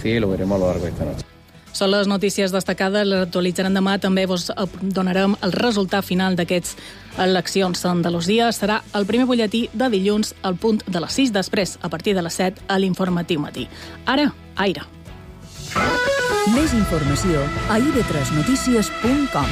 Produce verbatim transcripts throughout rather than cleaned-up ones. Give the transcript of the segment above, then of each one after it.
producir y lo veremos a lo largo de esta noche. Són les notícies destacades, les actualitzarem demà. També vos donarem el resultat final d'aquests eleccions d'Andalusia. Serà el primer butlletí de dilluns al punt de les sis, després, a partir de les set, a l'informatiu matí. Ara, aire. Més informació a i ve tres notícies punt com.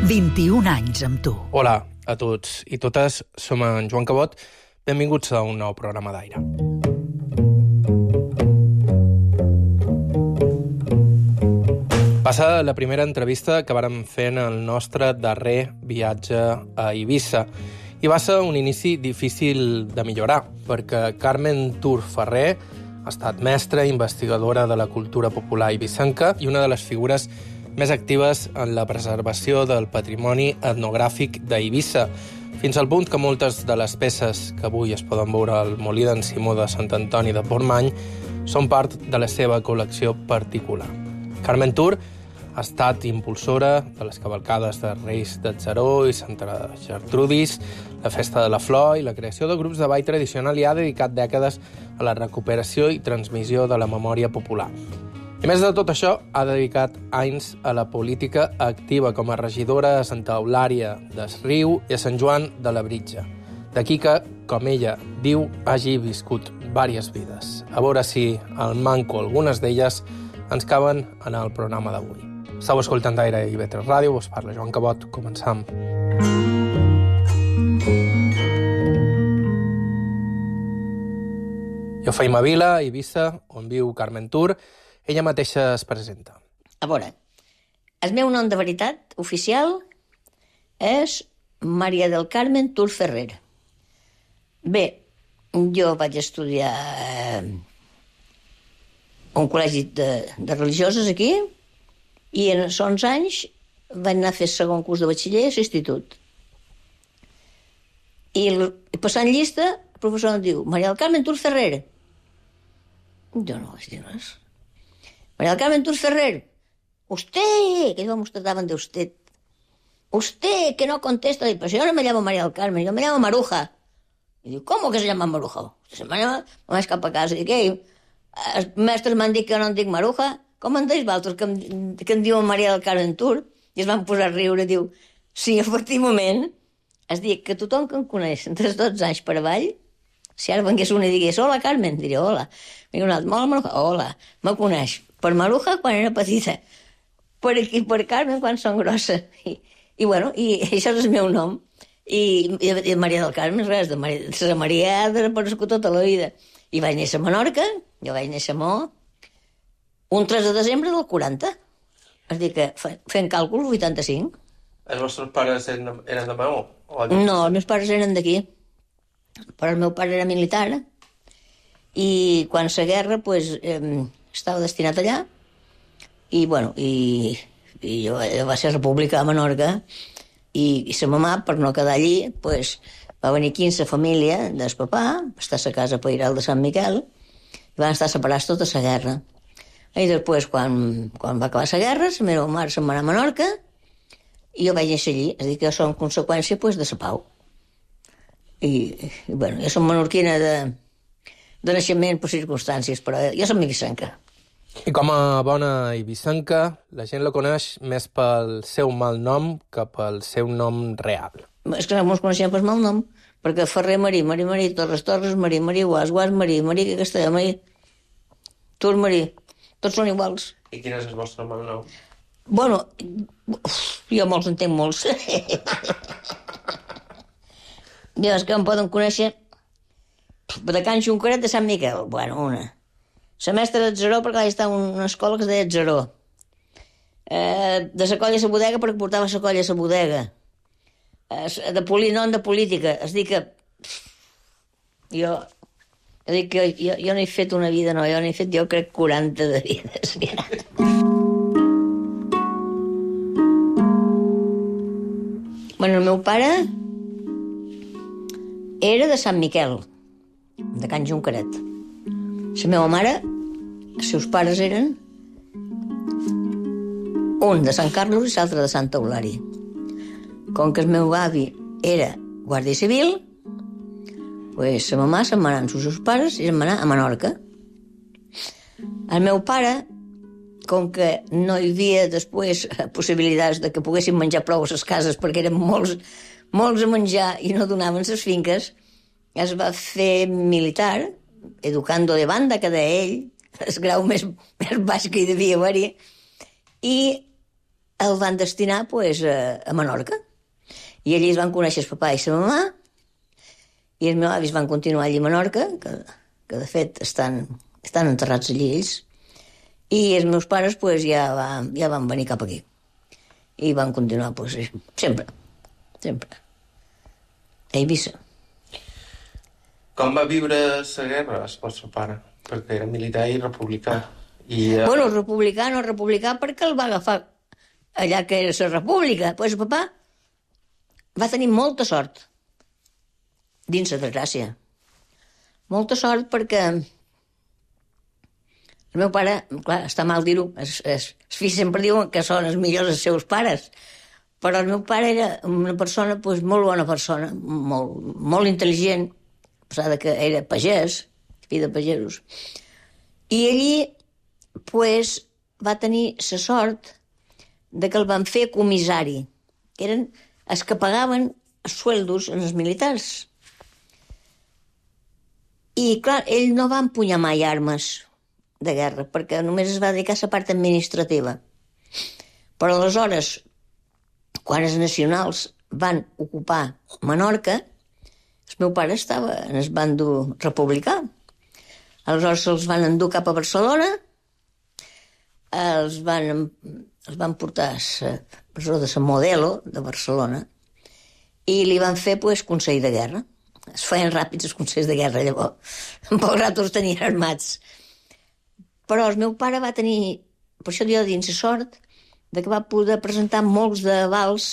vint-i-un anys amb tu. Hola a tots i totes, som en Joan Cabot. Benvinguts a un nou programa d'Aire. Passa la primera entrevista que vàrem fer en el nostre darrer viatge a Eivissa. I va ser un inici difícil de millorar, perquè Carmen Tur Ferrer ha estat mestra, investigadora de la cultura popular eivissenca i una de les figures més actives en la preservació del patrimoni etnogràfic d'Eivissa, fins al punt que moltes de les peces que avui es poden veure al Molí d'en Simó de Sant Antoni de Portmany són part de la seva col·lecció particular. Carmen Tur ha estat impulsora de les cavalcades de Reis d'Atzaró i Santa Gertrudis, la Festa de la Flor i la creació de grups de ball tradicional i ha dedicat dècades a la recuperació i transmissió de la memòria popular. I més de tot això, ha dedicat anys a la política activa com a regidora a Santa Eulària d'Esriu i a Sant Joan de la Britja. D'aquí que, com ella diu, hagi viscut vàries vides. A veure si al manco algunes d'elles ens caben en el programa d'avui. Estau escoltant Aire i i ve tres Ràdio, vos parla Joan Cabot, començam. Jo feim a Vila, Eivissa, on viu Carmen Tur. Ella mateixa es presenta. A veure, el meu nom de veritat oficial és Maria del Carmen Tur Ferrer. Bé, jo vaig estudiar eh, un col·legi de, de religioses aquí i en els onze anys vaig anar a fer segon curs de batxiller a l'institut. I el, passant llista, el professor em diu Maria del Carmen Tur Ferrer. Jo no vaig dir res. María del Carmen Tur Ferrer, usted, que íbamos trataban de usted, usted que no contesta, pero si yo no me llamo María del Carmen, yo me llamo Maruja. Y digo, ¿cómo que se llama Maruja? Se me llama, me vaig cap a casa i què? Els mestres m'han dit que no em dic Maruja, com en deis vosaltres que em, que em diuen Maria del Carmen Tur? I es van posar a riure, diu, sí, efectivament, es diu que tothom que em coneix entre els dotze anys per avall, si ara vengués una i digués, hola Carmen, diria, hola. I un altre, hola Maruja, hola, me coneix. Per Maruja quan era petita, per aquí per Carmen quan són grossa. I, i bueno, i això és el meu nom. I, i, i Maria del Carmen, res, de Maria, de Maria de aparegut tota la vida. I vaig néixer a Menorca, jo vaig néixer a Mo, un tres de desembre del quaranta. És dir que, fent càlcul, vuitanta-cinc. Els vostres pares eren, eren de Maó? No, els meus pares eren d'aquí. Però el meu pare era militar i quan la guerra, pues, eh, estava destinat allà i, bueno, i, i jo, jo va ser república a Menorca i, i sa mamà, per no quedar allí, pues, va venir aquí amb sa família del papà, va estar a sa casa Pairal de Sant Miquel i van estar separats tota la guerra. I després, quan, quan va acabar la guerra, la meva mare se'n va anar a Menorca i jo vaig néixer allí, és a dir, que jo som conseqüència, pues, de la pau. I, i bueno, jo som menorquina de de naixement per circumstàncies, però jo som eivissenca. I com a bona eivissenca, la gent la coneix més pel seu mal nom que pel seu nom real. És que no ens coneixem per mal nom, perquè Ferrer Marí, Marí Marí, Torres Torres Marí, Marí Guas, Guas Marí, Marí que Castellà Marí, Tur Marí, tots són iguals. I quin és el vostre mal nom? Bueno, jo molts en tenc molts. Jo, és que em poden conèixer de Can Xunqueret de Sant Miquel. Bueno, una. La mestra d'Atzaró, perquè vaig estar en una escola que es deia Atzaró. Eh, de la colla a la bodega, perquè portava la colla a la bodega. Eh, de polinom de política. És dir que... Jo... Jo dic que jo, jo no he fet una vida, no. Jo no he fet, jo crec, quaranta de vides. Bueno, el meu pare era de Sant Miquel. de Can Junqueret. La meva mare, els seus pares eren un de Sant Carlos i l'altre de Santa Eulària. Com que el meu avi era guàrdia civil, pues, la mamà se'n va anar amb els seus pares i se'n va anar a Menorca. El meu pare, com que no hi havia després possibilitats de que poguessin menjar prou a les cases perquè eren molts, molts a menjar i no donaven les finques, es va fer militar, educando de banda, que deia ell, el grau més, més baix que hi devia haver-hi, i el van destinar pues, a, a Menorca. I allí es van conèixer el papà i la mamà, i els meus avis van continuar allí a Menorca, que, que de fet estan, estan enterrats allí ells, i els meus pares pues, ja, va, ja van venir cap aquí. I van continuar pues, sempre, sempre, a Eivissa. Com va viure la guerra el vostre pare? Perquè era militar i republicà. I, uh... Bueno, republicà no republicà perquè el va agafar allà que era la república. Pues el papà va tenir molta sort dins la desgràcia. Molta sort perquè el meu pare, clar, està mal dir-ho, els, els, els fills sempre diuen que són els millors els seus pares, però el meu pare era una persona, pues, molt bona persona, molt, molt intel·ligent, a pesar de que era pagès, fill de pagesos. I allí, pues, va tenir la sort de que el van fer comissari. Eren els que pagaven els sueldos als militars. I, clar, ell no va empunyar mai armes de guerra, perquè només es va dedicar a la part administrativa. Però aleshores, quan els nacionals van ocupar Menorca, el meu pare estava en el bàndol republicà. Aleshores se'ls van endur cap a Barcelona, els van, els van portar a la presó de la Modelo de Barcelona i li van fer pues, consell de guerra. Es feien ràpids els consells de guerra, llavors. En poc rato els tenien armats. Però el meu pare va tenir, per això jo dins la sort, de que va poder presentar molts d'avals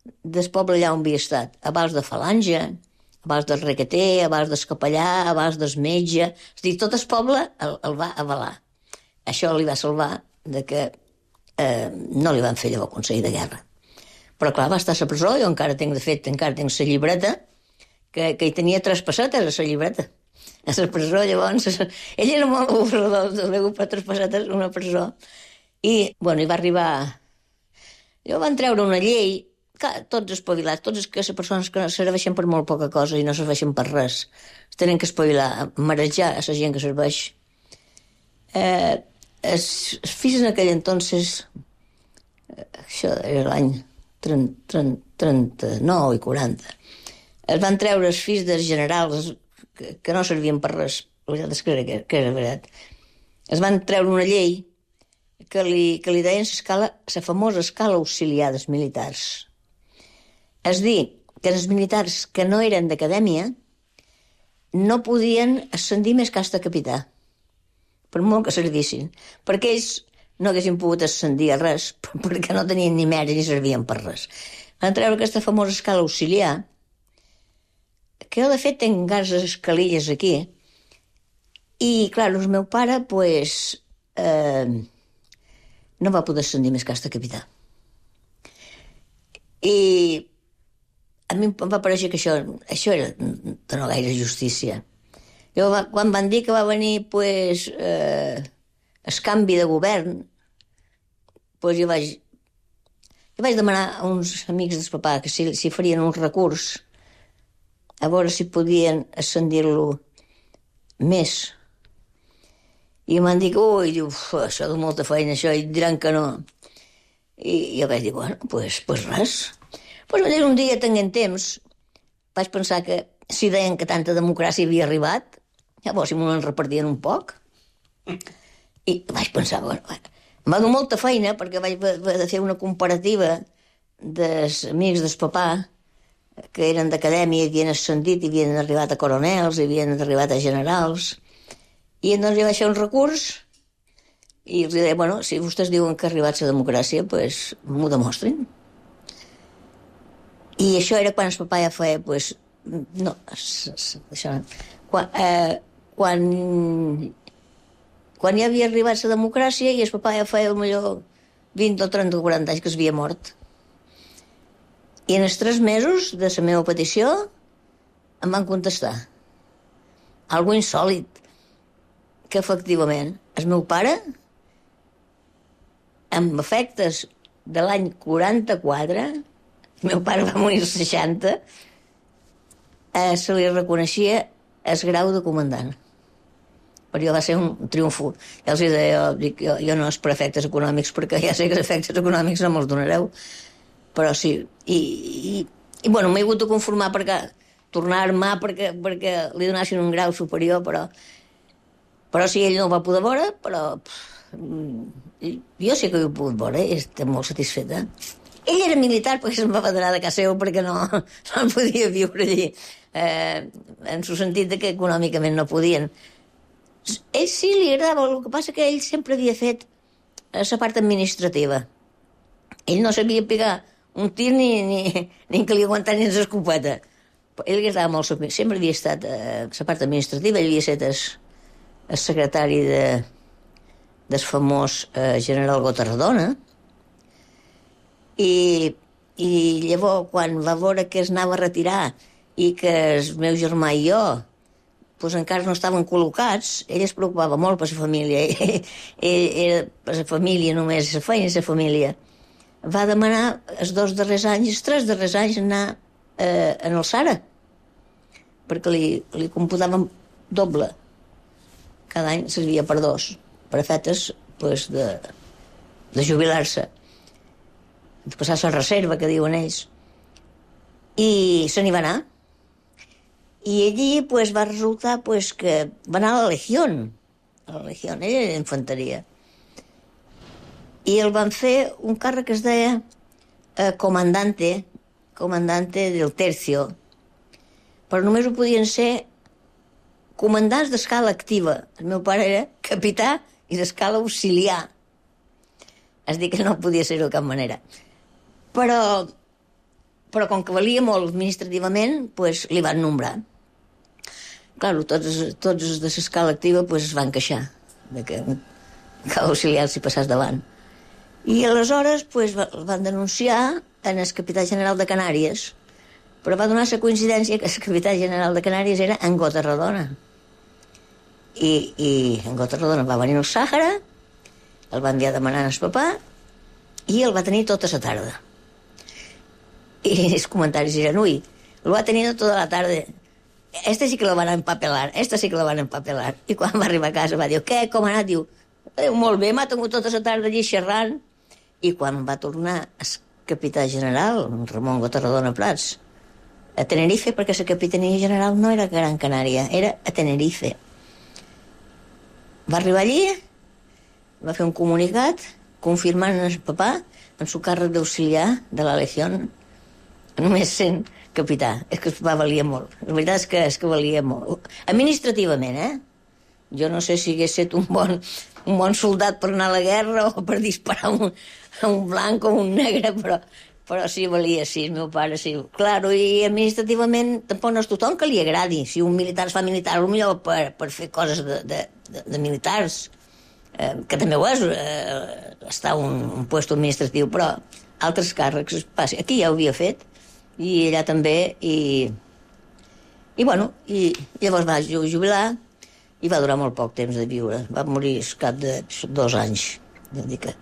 del poble allà on havia estat. Avals de Falange, avals del Requeter, avals del Capellà, avals del Metge. És a dir, tot el poble el, el va avalar. Això li va salvar de que eh, no li van fer llavors consell de guerra. Però clar, va estar a la presó, jo encara tinc, de fet, encara tinc la llibreta, que, que hi tenia tres pessetes a la llibreta. A la presó, llavors, ell era molt avorrador, de per tres pessetes una presó. I, bueno, hi va arribar... Llavors van treure una llei, clar, tots espavilats, tots els que les persones que no serveixen per molt poca cosa i no serveixen per res, es tenen que espavilar, marejar a la gent que serveix. Eh, els, els fills en aquell entonces, eh, això era l'any trenta-nou i quaranta, es van treure els fills dels generals que, que no servien per res, la veritat és que era, que era veritat. Es van treure una llei que li, que li deien l'escala, la famosa escala auxiliar dels militars. És dir, que els militars que no eren d'acadèmia no podien ascendir més que hasta capità, per molt que servissin, perquè ells no haguessin pogut ascendir a res, perquè no tenien ni mèrit ni servien per res. Van treure aquesta famosa escala auxiliar, que jo, de fet, tenc encara les escalilles aquí, i, clar, el meu pare, pues, eh, no va poder ascendir més que hasta capità. I a mi em va pareixer que això, això era de no gaire justícia. Jo, quan van dir que va venir, pues, eh, el canvi de govern, pues jo vaig, jo vaig demanar a uns amics del papà que si, si farien un recurs a veure si podien ascendir-lo més. I m'han dit, ui, diu, això de molta feina, això, i diran que no. I jo vaig dir, bueno, pues, pues res. Pues un dia, tenint temps, vaig pensar que si deien que tanta democràcia havia arribat, llavors si m'ho en repartien un poc. I vaig pensar, bueno, em va donar molta feina perquè vaig haver de fer una comparativa dels amics del papà que eren d'acadèmia, havien ascendit i havien arribat a coronels, i havien arribat a generals. I doncs jo vaig fer un recurs i els deia, bueno, si vostès diuen que ha arribat la democràcia, doncs m'ho demostrin. I això era quan el papà ja feia, doncs, no, això, quan, eh, quan, quan ja havia arribat la democràcia i el papà ja feia millor vint o trenta o quaranta anys que s'havia mort. I en els tres mesos de la meva petició em van contestar. Algo insòlit, que efectivament el meu pare, amb efectes de l'any quaranta-quatre, el meu pare va morir als seixanta, eh, se li reconeixia el grau de comandant. Per jo va ser un triomfo. Ja els deia, jo, dic, jo, jo no és per efectes econòmics, perquè ja sé que els efectes econòmics no me'ls donareu, però sí. I, i, i bueno, m'he hagut de conformar perquè tornar a armar perquè, perquè li donassin un grau superior, però, però sí, ell no ho va poder veure, però pff, jo sí que ho he pogut veure i estic molt satisfeta. Ell era militar perquè se'n va federar de casa seu perquè no, no podia viure allí, eh, en el sentit de que econòmicament no podien. Ell sí li agradava, el que passa que ell sempre havia fet la part administrativa. Ell no sabia pegar un tir ni, ni, ni que li aguantar ni l'escopeta. Ell li agradava molt, sempre havia estat a eh, la part administrativa, ell havia estat el, el secretari de, del famós eh, general Gotardona, i, i llavors quan va veure que es anava a retirar i que el meu germà i jo pues, encara no estaven col·locats, ell es preocupava molt per la família. Ell, ell era per la família només, la feina i la família. Va demanar els dos darrers anys, els tres darrers anys, anar eh, en el Sara, perquè li, li computàvem doble. Cada any servia per dos, per efectes pues, de, de jubilar-se, de passar la reserva, que diuen ells. I se n'hi va anar. I allí pues, va resultar pues, que va anar a la Legió. A la Legió, ell era d'infanteria. I el van fer un càrrec que es deia eh, comandante, comandante del tercio, però només ho podien ser comandants d'escala activa. El meu pare era capità i d'escala auxiliar. És dir, que no podia ser-ho de cap manera. Però, però com que valia molt administrativament, pues, li van nombrar. Claro, tots, tots els de l'escala activa pues, es van queixar de que cada auxiliar s'hi passés davant. I aleshores pues, van denunciar en el capità general de Canàries, però va donar la coincidència que el capità general de Canàries era en Gotardona. I, i en Gotardona va venir al Sàhara, el va enviar a demanar al papà i el va tenir tota la tarda. I els comentaris eren, ui, lo va tenir tota la tarda. Este sí que lo van empapelar, este sí que lo van empapelar. I quan va arribar a casa va dir, què, com ha anat? Diu, eh, molt bé, m'ha tingut tota la tarda allí xerrant. I quan va tornar el capità general, Ramon Gotardona Prats, a Tenerife, perquè la capitania general no era a Gran Canària, era a Tenerife. Va arribar allí, va fer un comunicat confirmant el papà en su càrrec d'auxiliar de la Legió, només sent capità. És que el papà valia molt. La veritat és que, és que valia molt. Administrativament, eh? Jo no sé si hagués estat un bon, un bon soldat per anar a la guerra o per disparar un, un blanc o un negre, però, però sí valia, sí, el meu pare, sí. Claro, i administrativament tampoc no és tothom que li agradi. Si un militar es fa militar, potser per, per fer coses de, de, de, de militars, eh, que també ho és, eh, està un, un puesto administratiu, però altres càrrecs, passi. Aquí ja ho havia fet, i allà també, i, i bueno, i llavors va jubilar, i va durar molt poc temps de viure. Va morir al cap de dos anys. Vull dir que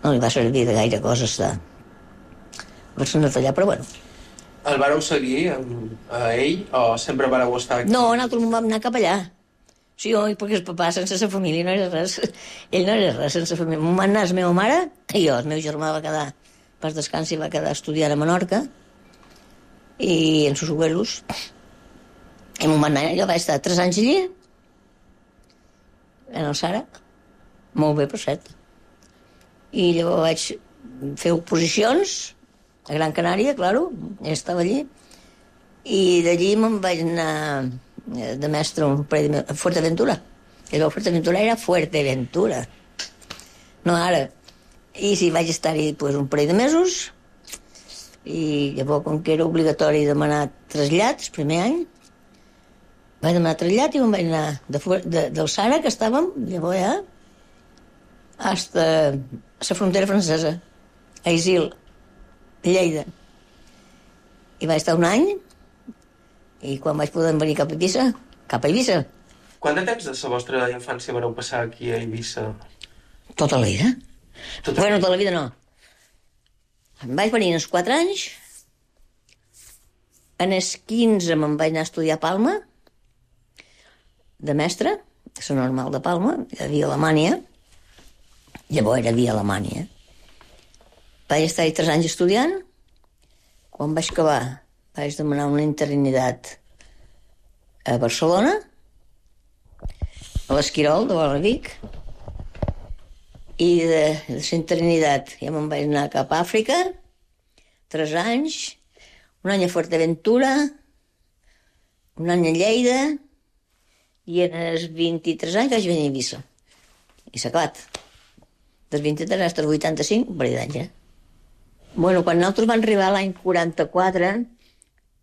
no li va servir de gaire cosa estar a Barcelona allà, però bueno. El vareu seguir a ell o sempre vareu estar aquí? No, nosaltres vam anar cap allà. Sí, oi, perquè el papà sense la família no era res. Ell no era res sense família. M'ho van anar la meva mare i jo. El meu germà va quedar, pas descansi, va quedar estudiant a Menorca i en sus abuelos. I m'ho van anar, jo vaig estar tres anys allí, en el Sara, molt bé, per cert. I llavors vaig fer oposicions a Gran Canària, claro, ja estava allí, i d'allí me'n vaig anar de mestre a Fuerteventura. I llavors Fuerteventura era Fuerteventura, no ara. I sí, vaig estar-hi pues, un parell de mesos, i llavors, com que era obligatori demanar trasllats, primer any, vaig demanar trasllat i me'n vaig anar de, de, del Sara, que estàvem, llavors ja, hasta la frontera francesa, a Isil, Lleida. I vaig estar un any, i quan vaig poder venir cap a Eivissa, cap a Eivissa. Quant de temps de la vostra infància vareu passar aquí a Eivissa? Tota la vida. Tota bueno, la vida. tota la vida no. Em vaig venir als quatre anys, en els quinze me'n vaig anar a estudiar a Palma, de mestre, que és normal de Palma, a Via Alemanya, llavors era Via Alemanya. Vaig estar-hi tres anys estudiant, quan vaig acabar vaig demanar una interinitat a Barcelona, a l'Esquirol, de Vora Vic, i de, de la interinitat ja me'n vaig anar cap a Àfrica, tres anys, un any a Fuerteventura, un any a Lleida, i en els vint-i-tres anys vaig venir a Eivissa. I s'ha acabat. Dels vint-i-tres fins als vuitanta-cinc, un parell d'anys, eh? Bueno, quan nosaltres vam arribar l'any quaranta-quatre,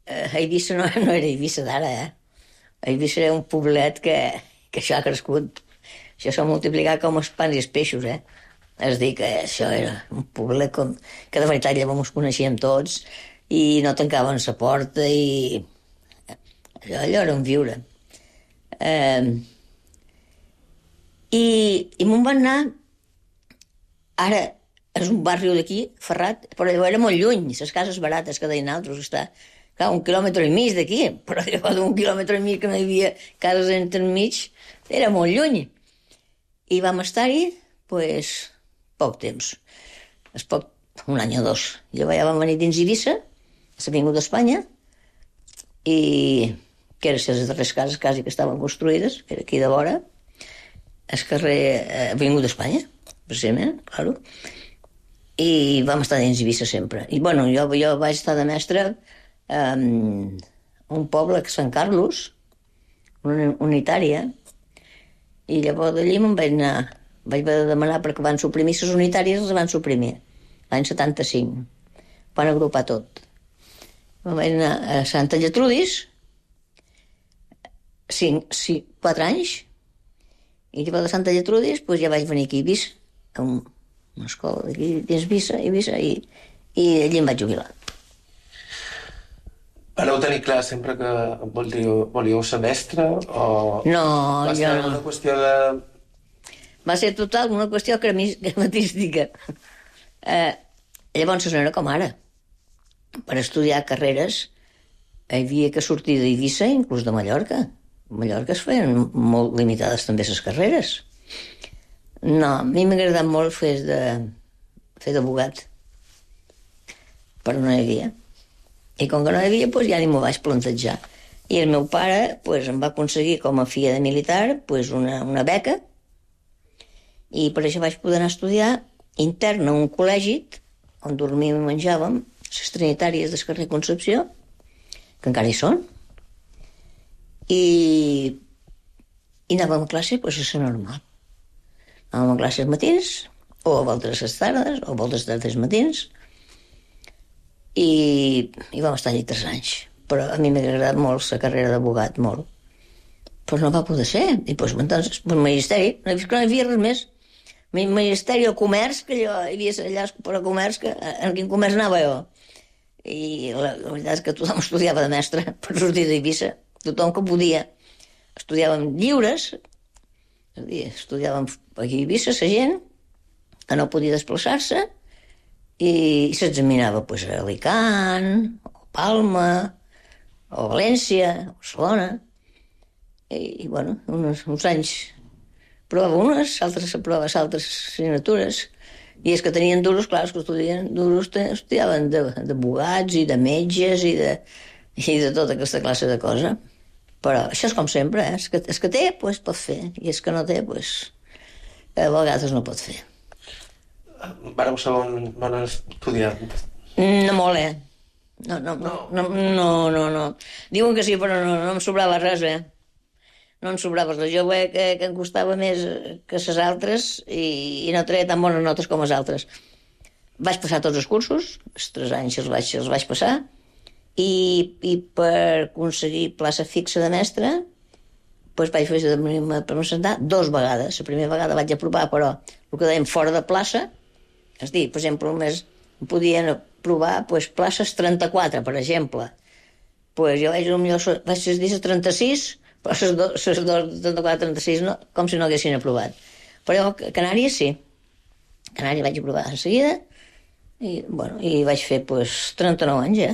eh, Eivissa no, no era Eivissa d'ara, eh? Eivissa era un poblet que, que això ha crescut. Això s'ha multiplicat com els pans i els peixos, eh? És a dir, que això era un poblet com, que de veritat llavors ens coneixíem tots i no tancaven la porta i allò, allò era un viure. Eh, i i me'n van anar, ara és un barri d'aquí, Ferrat, però llavors era molt lluny, les cases barates que deien altres, està clar, un quilòmetre i mig d'aquí, però llavors d'un quilòmetre i mig que no hi havia cases entremig, era molt lluny. I vam estar-hi, pues, poc temps. És poc, un any o dos. Llavors ja vam venir dins Eivissa, a l'Avinguda d'Espanya, i que eren les darreres cases quasi que estaven construïdes, que era aquí de vora, el carrer eh, Avinguda d'Espanya, precisament, claro. I vam estar dins Eivissa sempre. I, bueno, jo, jo vaig estar de mestre um, a un poble que és Sant Carlos, una unitària, i llavors d'allí me'n vaig anar, vaig haver de demanar perquè van suprimir les unitàries, les van suprimir, l'any setanta-cinc, van agrupar tot. Me'n vaig anar a Santa Lletrudis, cinc, cinc, quatre anys, i llavors de Santa Lletrudis pues, ja vaig venir aquí a Eivissa, a un, una escola d'aquí dins Eivissa, Eivissa, i, i allí em vaig jubilar. Vareu tenir clar sempre que volíeu, volíeu ser mestre o... No, va jo ser no. una qüestió de... Va ser total una qüestió crematística. Eh, llavors no era com ara. Per estudiar carreres hi havia que sortir d'Eivissa, inclús de Mallorca. A Mallorca es feien molt limitades també les carreres. No, a mi m'ha agradat molt fer de fer d'abogat. Però no hi havia. I com que no hi havia, doncs ja ni m'ho vaig plantejar. I el meu pare doncs, em va aconseguir, com a filla de militar, doncs una, una beca, i per això vaig poder anar a estudiar intern a un col·legi on dormíem i menjàvem, les trinitàries del carrer Concepció, que encara hi són, i, i anàvem a classe doncs, a ser normal. Anàvem a classe als matins, o a voltes a les tardes, o a voltes a les matins, i, i vam estar allà tres anys. Però a mi m'ha agradat molt la carrera d'abogat, molt. Però no va poder ser. I doncs, entonces, el magisteri, no hi havia res més. El magisteri, el comerç, que allò, hi havia allà per a comerç, que, en quin comerç anava jo. I la, la veritat és que tothom estudiava de mestre per sortir d'Eivissa. Tothom que podia. Estudiàvem lliures, és a dir, estudiàvem aquí a Eivissa, la gent, que no podia desplaçar-se, i s'examinava pues, a Alicant, o Palma, o València, o Barcelona. I, i bueno, uns, uns anys provava unes, altres provava altres assignatures. I els que tenien duros, clar, els que estudien duros estudiaven d'abogats i de metges i de, i de tota aquesta classe de cosa. Però això és com sempre, eh? El que, el que té, pues, pot fer, i el que no té, pues, a vegades no pot fer. Vareu ser bon, bon estudiant? No molt, eh? No, no, no, no, no, no, no. Diuen que sí, però no, no em sobrava res, eh? No em sobrava res. Jo veia que, que em costava més que les altres i, i no treia tan bones notes com les altres. Vaig passar tots els cursos, els tres anys els vaig, els vaig passar, i, i per aconseguir plaça fixa de mestre doncs vaig fer de mínima per presentar dues vegades. La primera vegada vaig aprovar, però el que dèiem fora de plaça, és dir, per exemple, només podien aprovar doncs, places trenta-quatre, per exemple. Pues jo vaig, potser, vaig dir les trenta-sis, però les dues, trenta-quatre, trenta-sis, no, com si no haguessin aprovat. Però jo, a Canàries sí. A Canàries vaig aprovar de seguida i, bueno, i vaig fer pues, trenta-nou anys ja.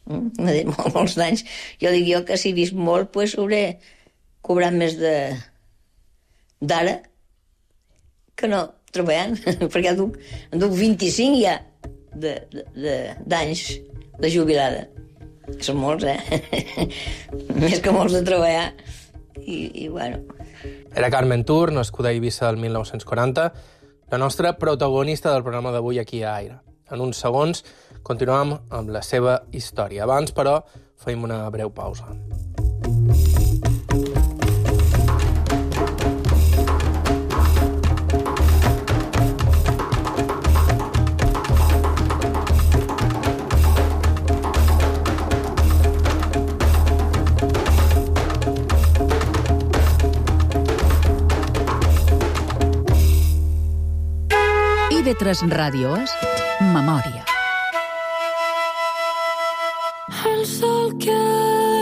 Mm? Mol, molts anys. Jo dic jo que si he vist molt, pues, hauré cobrat més de d'ara que no treballant, perquè duc, en duc vint-i-cinc ja d'anys de, de, de, de jubilada. Són molts, eh? Més que molts de treballar. I, i bueno... Era Carmen Tur, nascuda a Eivissa el mil nou-cents quaranta, la nostra protagonista del programa d'avui aquí a Aire. En uns segons continuem amb la seva història. Abans, però, feim una breu pausa. I V tres Ràdio és Memòria. El sol que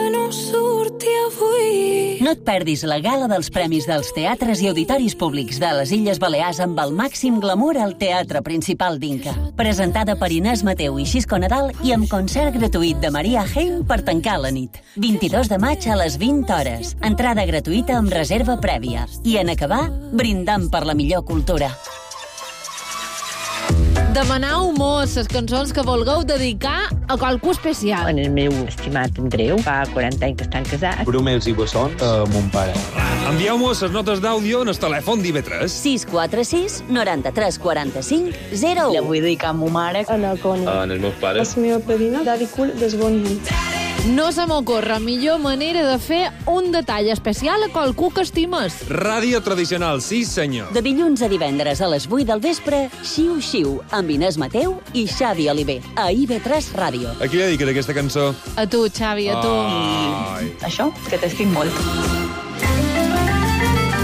no surti avui. No et perdis la gala dels premis dels teatres i auditoris públics de les Illes Balears amb el màxim glamour al Teatre Principal d'Inca. Presentada per Inés Mateu i Xisco Nadal i amb concert gratuït de Maria Heim per tancar la nit. vint-i-dos de maig a les vint hores. Entrada gratuïta amb reserva prèvia. I en acabar, brindant per la millor cultura. Demanau mos les cançons que vulgueu dedicar a qualcú especial. En el meu estimat Andreu, fa quaranta anys que estan casats. Brumels i Bossons, a mon pare. Envieu-mos les notes d'àudio en el telèfon d'I V tres. sis quatre sis, noranta-tres, quaranta-cinc, zero u. La vull dedicar a ma mare. A la Connie. En els meus pares. La meva padrina, Daddy Cool, des Bon Nit. No se m'ocorre millor manera de fer un detall especial a qualcú que estimes. Ràdio tradicional, sí senyor. De dilluns a divendres a les vuit del vespre, Xiu Xiu, amb Inés Mateu i Xavi Oliver, a I V tres Ràdio. A qui li dediques aquesta cançó? A tu, Xavi, a tu. Ai. Això, que t'estim molt.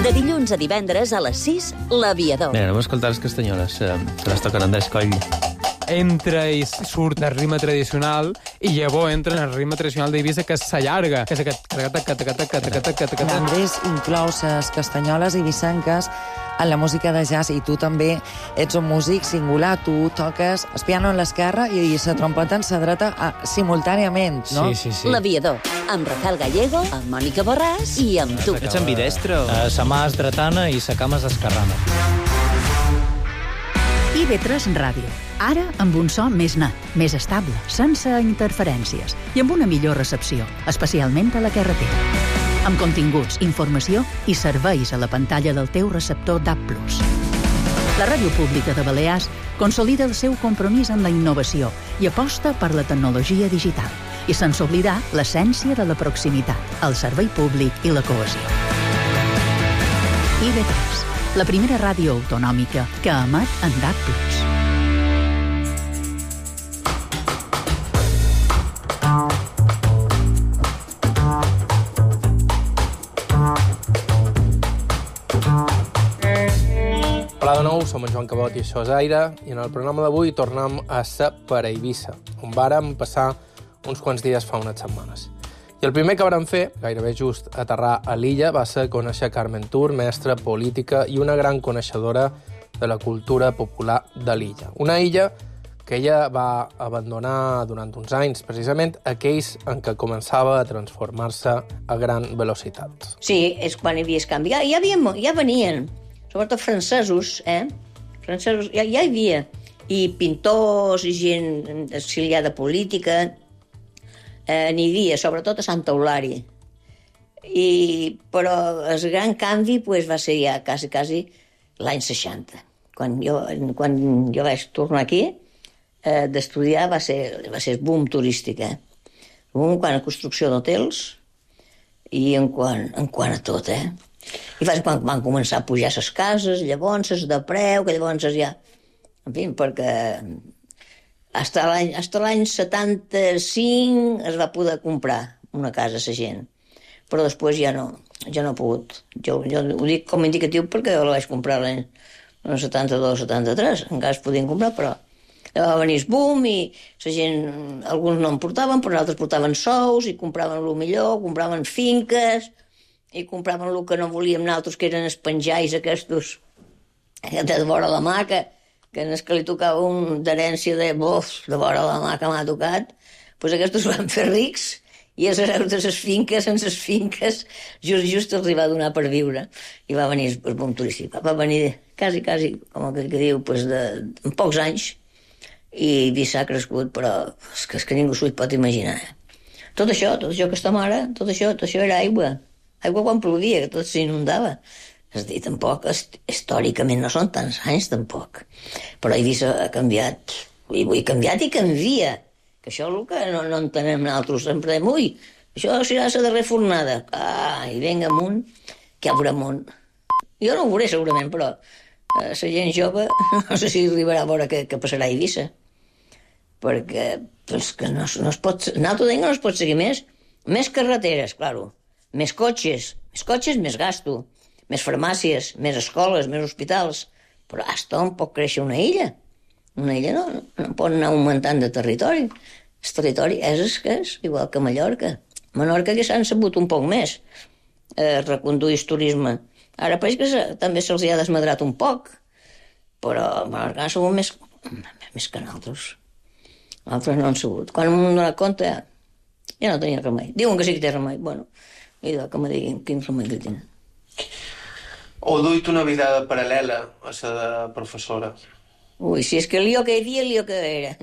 De dilluns a divendres a les sis, L'Aviador. Mira, anem a escoltar les castanyoles, eh, que les toquen Andrés Coll. Entra i surt del ritme tradicional i llavors entra en el ritme tradicional d'Eivissa, que s'allarga, que és aquest... Andrés inclou les castanyoles eivissenques en la música de jazz, i tu també ets un músic singular. Tu toques el piano en l'esquerra i la trompeta en la dreta a, simultàniament, no? Sí, sí, sí. L'Aviador, amb Rafael Gallego, amb Mònica Borràs i amb tu. Ets ambidestre? Uh, sa mà és dretana i sa cama és esquerrana. I V tres Ràdio. Ara amb un so més net, més estable, sense interferències i amb una millor recepció, especialment a la carretera. Amb continguts, informació i serveis a la pantalla del teu receptor D A B plus. La Ràdio Pública de Balears consolida el seu compromís amb la innovació i aposta per la tecnologia digital, i sense oblidar l'essència de la proximitat, el servei públic i la cohesió. I V tres, la primera ràdio autonòmica que emet en D A B plus. Hola de nou, som en Joan Cabot i això és Aire, i en el programa d'avui tornem a ser per a Eivissa, on vàrem passar uns quants dies fa unes setmanes. I el primer que vàrem fer, gairebé just aterrar a l'illa, va ser conèixer Carmen Tur, mestra, política i una gran coneixedora de la cultura popular de l'illa. Una illa que ella va abandonar durant uns anys, precisament aquells en què començava a transformar-se a gran velocitat. Sí, és quan hi havia el canvi. Ja, ja, havia, ja venien, sobretot francesos, eh? Francesos, ja, ja hi havia. I pintors, i gent exiliada política, eh, n'hi havia, sobretot a Sant Eulària. I, però el gran canvi pues, va ser ja quasi, quasi l'any seixanta. Quan jo, quan jo vaig tornar aquí, eh, d'estudiar, va ser, va ser el boom turístic. Eh? Boom quan a construcció d'hotels i en quant, en quant a tot, eh? I van, van, van començar a pujar les cases, llavors les de preu, que llavors ja... En fi, perquè fins a l'any, fins a l'any setanta-cinc es va poder comprar una casa a la gent. Però després ja no, jo no he pogut. Jo, jo ho dic com a indicatiu perquè jo la vaig comprar l'any setanta-dos setanta-tres, encara es podien comprar, però va venir el boom i la gent, alguns no en portaven, però altres portaven sous i compraven el millor, compraven finques i compraven el que no volíem nosaltres, que eren els penjais aquests de vora la mà, que, que en el que li tocava un d'herència de bof, de vora la mà que m'ha tocat, doncs aquests van fer rics i els hereus de les finques, en les finques, just, just els va donar per viure. I va venir el boom turístic. Va venir quasi, quasi, com que, que diu, pues de, en pocs anys, i Eivissa ha crescut, però és que, és que ningú s'ho pot imaginar. Tot això, tot això que estem ara, tot això, tot això era aigua. Aigua quan plovia, que tot s'inundava. És a dir, tampoc, històricament no són tants anys, tampoc. Però Eivissa ha canviat, i ha canviat i canvia. Que això és el que no, no entenem nosaltres, sempre dèiem, ui, això serà la darrera fornada. Ah, i venga amunt, que hi haurà amunt. Jo no ho veuré segurament, però la eh, gent jove no sé si arribarà a veure què, què passarà a Eivissa. Perquè pues, que no, no es pot, nosaltres deiem que no es pot seguir més. Més carreteres, claro. Més cotxes, més cotxes, més gasto. Més farmàcies, més escoles, més hospitals. Però hasta on pot créixer una illa? Una illa no, no pot anar augmentant de territori. El territori és el que és, igual que Mallorca. Menorca que s'han sabut un poc més eh, reconduir el turisme. Ara pareix que se, també se'ls ha desmadrat un poc, però Menorca ha sabut més, més que nosaltres. Nosaltres no han sabut. Quan m'ho hem donat compte, ja no tenia remei. Diuen que sí que té remei. Bueno, i que me diguin quin remei que tenen. O duit una vida paral·lela a la de professora. Ui, si és que el lío que hi havia, el lío que era.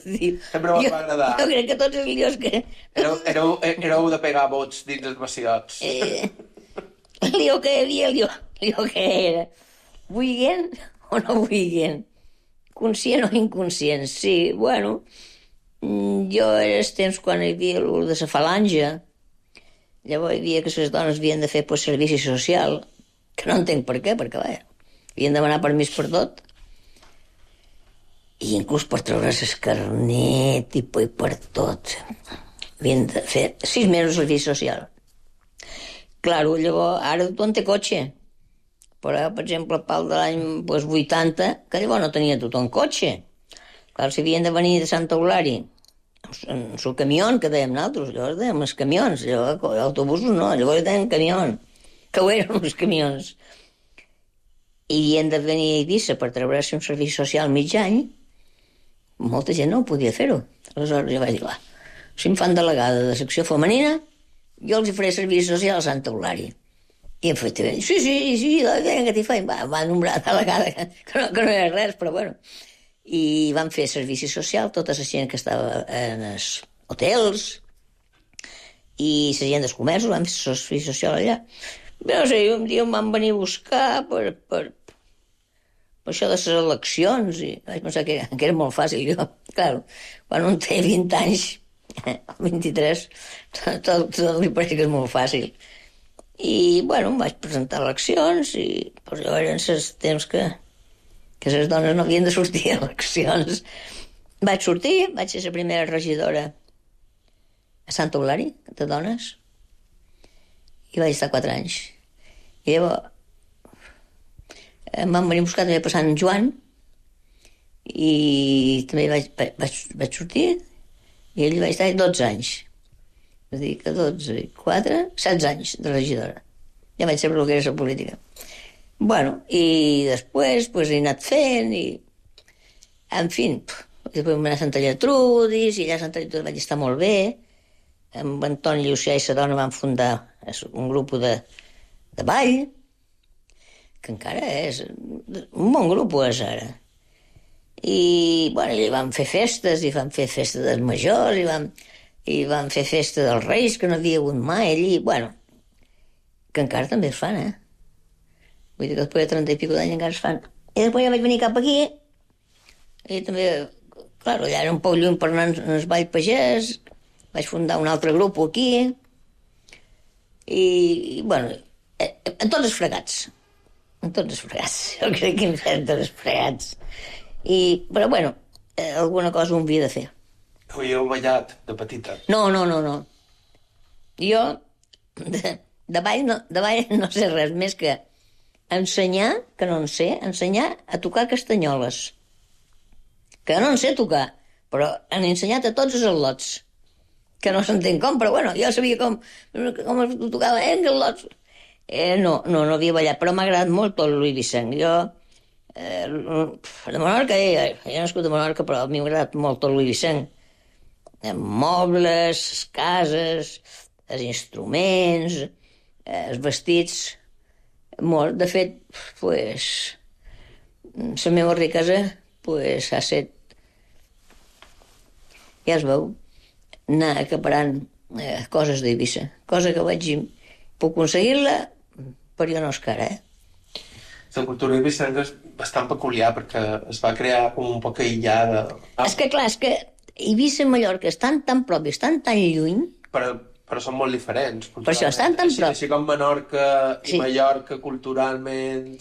Sempre m'ho va agradar. Jo crec que tots els líos que... Éreu, éreu, éreu de pegar vots dins els vaciots. Eh, el lío que hi havia, el lío, el lío que era. Vuiguen o no vuiguen? Conscient o inconscient? Sí, bueno, jo era els temps quan hi havia el de la falange, llavors hi havia que les dones havien de fer pues, servici social, que no entenc per què, perquè vaja, havien de demanar permís per tot, i inclús per treure's el carnet i per tot. Havien de fer sis mesos de servici social. Claro, llavors, ara tothom té cotxe, però, per exemple, el pal de l'any pues, vuitanta, que llavors no tenia tothom cotxe. Clar, si havien de venir de Santa Eulària, en el camió, que dèiem nosaltres, llavors dèiem els camions, llavors autobusos no, llavors dèiem camions, que ho eren els camions. I havien de venir a Eivissa per treure-se un servici social mig any, molta gent no ho podia fer-ho. Aleshores jo vaig dir, va, si em fan delegada de secció femenina, jo els faré servici social a Santa Eulària. I em feia, sí, sí, sí, vinga, que t'hi faig. Va, va nombrar delegada, que, que, no, que no era res, però bueno. I van fer servici social, tota la gent que estava en els hotels i la gent dels comerços van fer servici social allà. No sé, un dia em van venir a buscar per, per, per això de les eleccions i vaig pensar que, que era molt fàcil. Jo, clar, quan un té vint anys, vint-i-tres, tot, tot, tot li pareix que és molt fàcil. I, bueno, em vaig presentar a eleccions i pues, jo eren els temps que, que les dones no havien de sortir a eleccions. Vaig sortir, vaig ser la primera regidora a Santa Eulària, de dones, i vaig estar quatre anys. I llavors em van venir a buscar també passant en Joan i també vaig, vaig, vaig sortir i ell vaig estar dotze anys. És a dir, que dotze i quatre, setze anys de regidora. Ja vaig saber el que era la política. Bueno, i després pues, he anat fent i... En fi, després vam anar a Santa Gertrudis i allà a Santa Gertrudis vaig estar molt bé. Amb Antoni Llucià i sa dona van fundar un grup de, de ball, que encara és un bon grup, és ara. I, bueno, i van fer festes, i van fer festes dels majors, i van... i van fer festa dels Reis, que no havia hagut mai allí, bueno, que encara també es fan, eh? Vull dir que després de trenta i pico d'anys encara es fan. I després ja vaig venir cap aquí, i també, clar, allà era un poc lluny per anar en el Vall Pagès, vaig fundar un altre grup aquí, i, i bueno, en tots els fregats, en tots els fregats, jo crec que en tots els fregats. I, però, bueno, alguna cosa ho havia de fer. Havíeu ballat de petita? No, no, no, no. Jo, de, de ball no, de ball no sé res més que ensenyar, que no en sé, ensenyar a tocar castanyoles. Que no en sé tocar, però han ensenyat a tots els al·lots. Que no s'entén com, però bueno, jo sabia com, com es tocava, eh, al·lots. Eh, no, no, no havia ballat, però m'ha agradat molt tot Louis Vicenç. Jo, eh, de Menorca, eh, jo he nascut a Menorca, però a mi m'ha agradat molt tot Louis Vicenç. Eh, mobles, cases, els instruments, eh, els vestits, molt. De fet, pues, la meva riquesa pues, ha set, ja es veu, anar acaparant eh, coses d'Eivissa, cosa que vaig puc aconseguir-la, però jo no és cara, eh? La cultura eivissenca és bastant peculiar perquè es va crear com un poc aïllada. Ah. És que clar, és que Eivissa i Mallorca estan tan prop i estan tan lluny... Però, però són molt diferents. Per això estan tan prop. Així, així com Menorca i sí. Mallorca culturalment,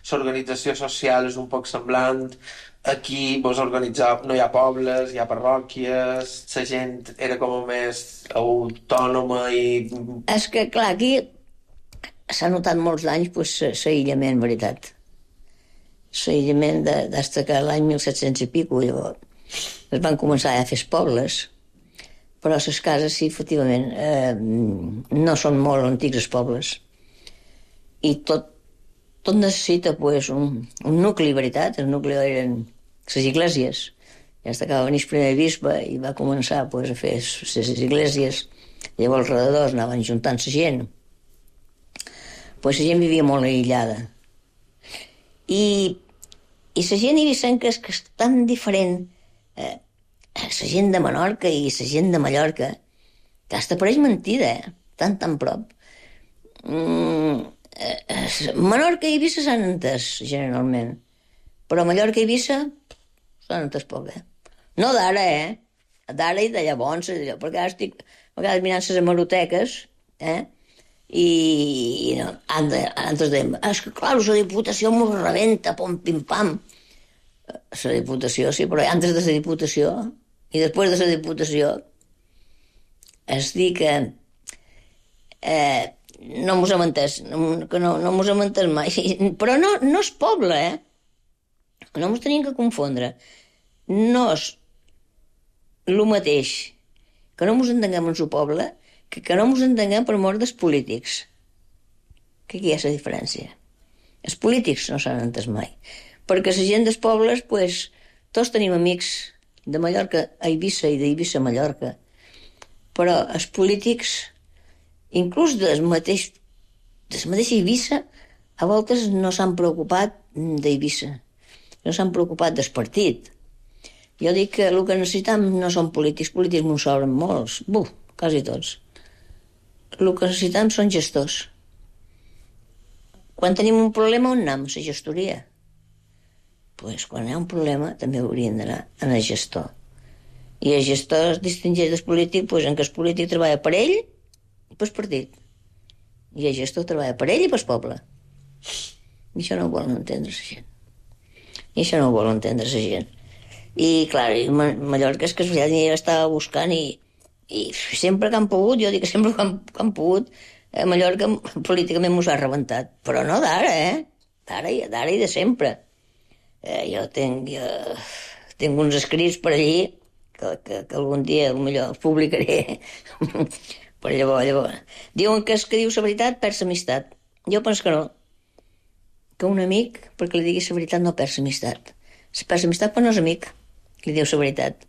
l'organització social és un poc semblant. Aquí vos organitzau, no hi ha pobles, hi ha parròquies, la gent era com més autònoma i... És que, clar, aquí s'ha notat molts d'anys pues, l'aïllament, veritat. L'aïllament de, des que l'any mil set-cents i pico, llavors, es van començar a fer pobles, però les cases, sí, efectivament, eh, no són molt antics els pobles. I tot, tot necessita pues, un, un nucli, veritat, el nucli eren... les iglesies. Ja es acaba de venir el primer bisbe i va començar pues, a fer les iglesies. Llavors, als redadors anaven juntant la gent. Pues, la gent vivia molt aïllada. I, i la gent eivissenca és que és tan diferent. Eh, la gent de Menorca i la gent de Mallorca, que hasta pareix mentida, eh? Tan, tan prop. Mm, eh, Menorca i Eivissa s'han entès, generalment. Però Mallorca i Eivissa s'han entès poc, eh? No d'ara, eh? D'ara i de llavors, perquè ara estic a vegades mirant les hemeroteques, eh? I, i no, antes dèiem, és que clar, la Diputació m'ho rebenta, pom, pim, pam. La Diputació, sí, però antes de la Diputació i després de la Diputació es dir que eh, no mos hem entès, no, que no, no mos hem entès mai, però no, no és poble, eh? No ens tenim que confondre. No és el mateix que no ens entenguem en el poble que que no ens entenguem per mort dels polítics. Que aquí hi ha la diferència. Els polítics no s'han entès mai. Perquè la gent dels pobles, pues, tots tenim amics de Mallorca a Eivissa i d'Eivissa a Mallorca. Però els polítics, inclús del mateix, del mateix Eivissa, a voltes no s'han preocupat d'Eivissa. No s'han preocupat del partit. Jo dic que el que necessitem no són polítics, polítics m'ho sobren molts, buf, quasi tots. El que necessitem són gestors. Quan tenim un problema, on anem? A la gestoria. Doncs pues, quan hi ha un problema també hauríem d'anar a el gestor. I el gestor es distingeix del polític pues, en què el polític treballa per ell i pel partit. I el gestor treballa per ell i pel poble. I això no ho volen entendre la gent. I això no ho vol entendre la gent. I, clar, Mallorca és que ja estava buscant i, i sempre que han pogut, jo dic que sempre que han, que han pogut, eh, Mallorca políticament m'ho ha rebentat. Però no d'ara, eh? D'ara i, d'ara i de sempre. Eh, jo tinc, jo tinc uns escrits per allí que, que, que algun dia potser els publicaré. Però llavors, llavors... Diuen que és que diu la veritat perd l'amistat. Jo penso que no. Que un amic, perquè li diguis la veritat, no perd l'amistat. Si perd l'amistat, però no és amic, li diu la veritat.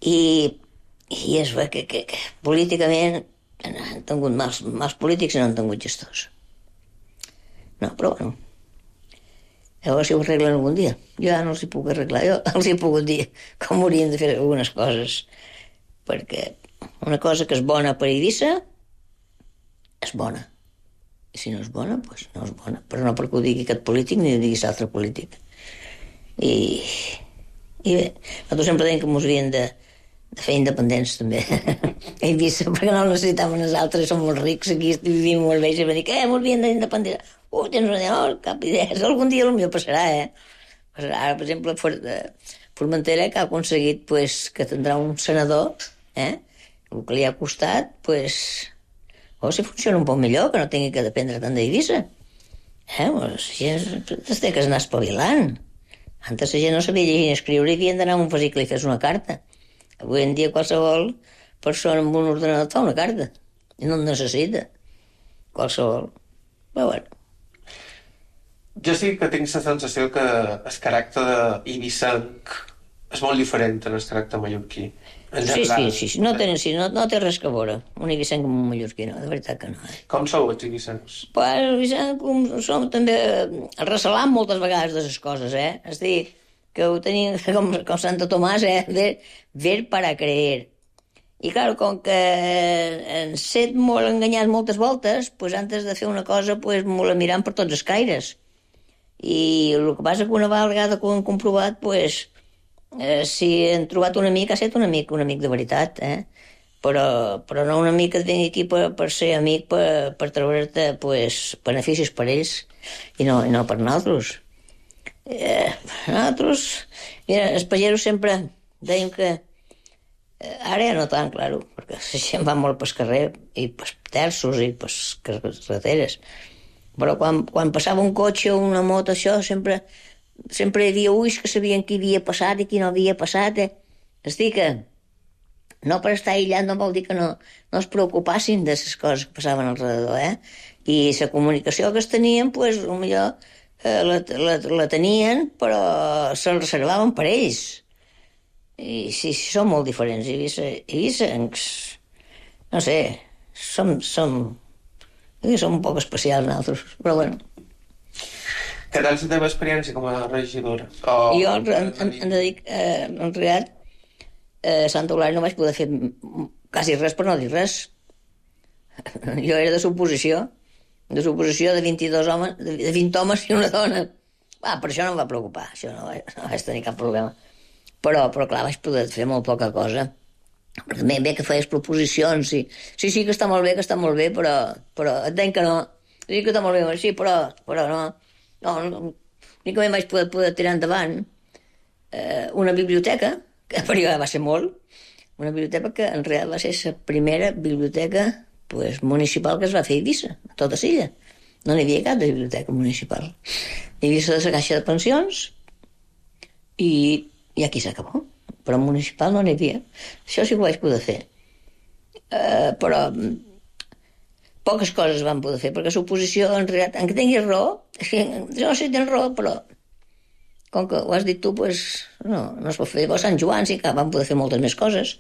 I, i és bé que, que, que políticament han tingut mals, mals polítics i no han tingut gestors. No, però bueno. Llavors si ho arreglen algun dia. Jo ja no els hi puc arreglar, jo els hi he pogut dir com haurien de fer algunes coses. Perquè una cosa que és bona per Eivissa és bona. I si no és bona, doncs no és bona. Però no perquè ho digui aquest polític ni ho digui l'altre polític. I, i bé, nosaltres sempre dèiem que ens havien de, de fer independents, també. A Eivissa, perquè no necessitaven els altres, som molt rics, aquí vivim molt bé, i sempre dic, eh, ens havien d'independents. Uh, tens una idea, no, cap idea. Algun dia potser passarà, eh? Passarà. Ara, per exemple, Formentera, que ha aconseguit pues, que tindrà un senador, eh? El que li ha costat, pues, o si funciona un poc millor, que no tingui que dependre tant d'Eivissa. Eh? La gent es té que anar espavilant. Antes la gent no sabia llegir ni escriure i havien d'anar a un vesicle i fes una carta. Avui en dia qualsevol persona amb un ordenador fa una carta i no en necessita. Qualsevol. Però bueno. Jo sí que tinc la sensació que el caràcter d'eivissenc és molt diferent del caràcter mallorquí. Sí, sí, sí, sí. No, tenen, sí no, no té res que veure. Un eivissenc amb un mallorquí, no, de veritat que no. Eh? Com sou els eivissencs? Pues els eivissencs som també recelant moltes vegades de les coses, eh? És a dir, que ho tenim com, com Santo Tomàs, eh? Ver, ver para creer. I, clar, com que ens set molt enganyats moltes voltes, pues, antes de fer una cosa, pues, molt mirant per tots els caires. I el que passa que una vegada que ho hem comprovat, pues, eh, si hem trobat un amic, ha estat un amic, un amic de veritat, eh? Però, però no un amic que et vingui aquí per, per ser amic, per, per treure'te, pues, beneficis per ells i no, i no per nosaltres. Eh, nosaltres, mira, els pagesos sempre dèiem que eh, ara ja no tant, claro, perquè la gent va molt pel carrer i pels terços i pels carreteres. Però quan, quan passava un cotxe o una moto, això, sempre, sempre hi havia ulls que sabien qui havia passat i qui no havia passat. Eh? És dir que no per estar aïllat no vol dir que no, no es preocupassin de les coses que passaven al redador, eh? I la comunicació que es tenien, pues, potser eh, la, la, la tenien, però se'l reservaven per ells. I sí, sí, són molt diferents. Eivissa, no sé, som... som I som un poc especials nosaltres, però bueno. Què tal la teva experiència com a regidora? O... Jo, en, en, en, dic, eh, en realitat, eh, a Santa Eulàlia no vaig poder fer quasi res per no dir res. Jo era de suposició, de suposició de vint-i-dos homes, de vint homes i una dona. Ah, per això no em va preocupar, això no, no vaig tenir cap problema. Però, però clar, vaig poder fer molt poca cosa. Perquè bé, bé que feies proposicions, sí. Sí, sí, que està molt bé, que està molt bé, però, però et deien que no. Sí, que està molt bé, sí, però, però no. No, no. Únicament vaig poder, poder tirar endavant eh, una biblioteca, que per jo va ser molt, una biblioteca que en real va ser la primera biblioteca pues, municipal que es va fer a Eivissa, a tota l'illa. No n'hi havia cap de biblioteca municipal. Hi havia la caixa de pensions i, i aquí s'acabó. Però municipal no n'hi havia. Això sí que ho vaig poder fer. Uh, però poques coses van poder fer, perquè l'oposició, en realitat, en què tinguis raó, jo no sé si tens raó, però com que ho has dit tu, pues, no, no es pot fer. Llavors, Sant Joan sí que van poder fer moltes més coses.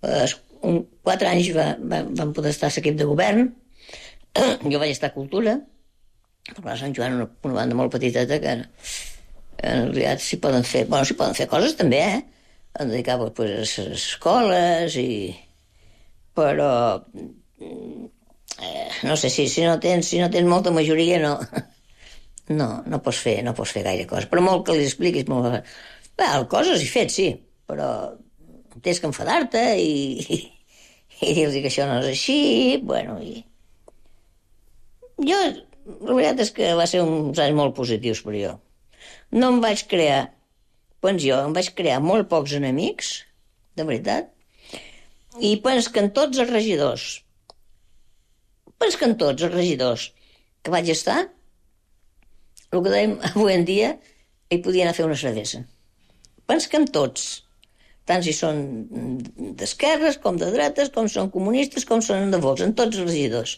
Uh, un, quatre anys va, va, van poder estar a l'equip de govern. Jo vaig estar a Cultura. Però a Sant Joan, una, una banda molt petiteta, que en realitat s'hi poden fer... Bueno, s'hi poden fer coses també, eh? Em dedicava pues, a les escoles i... Però... Eh, no sé, si, si, no tens, si no tens molta majoria no... No, no pots fer, no pots fer gaire coses. Però molt que li expliquis... Molt... Bé, coses he fet, sí, però tens que enfadar-te i, i, i dir-los que això no és així, bueno, i... Jo, la veritat és que va ser uns anys molt positius per jo. No em vaig crear... Doncs jo em vaig crear molt pocs enemics, de veritat, i pens que en tots els regidors, pens que en tots els regidors que vaig estar, el que dèiem avui en dia, hi podia anar a fer una cervesa. Pens que en tots, tant si són d'esquerres, com de dretes, com són comunistes, com són de Vox, en tots els regidors.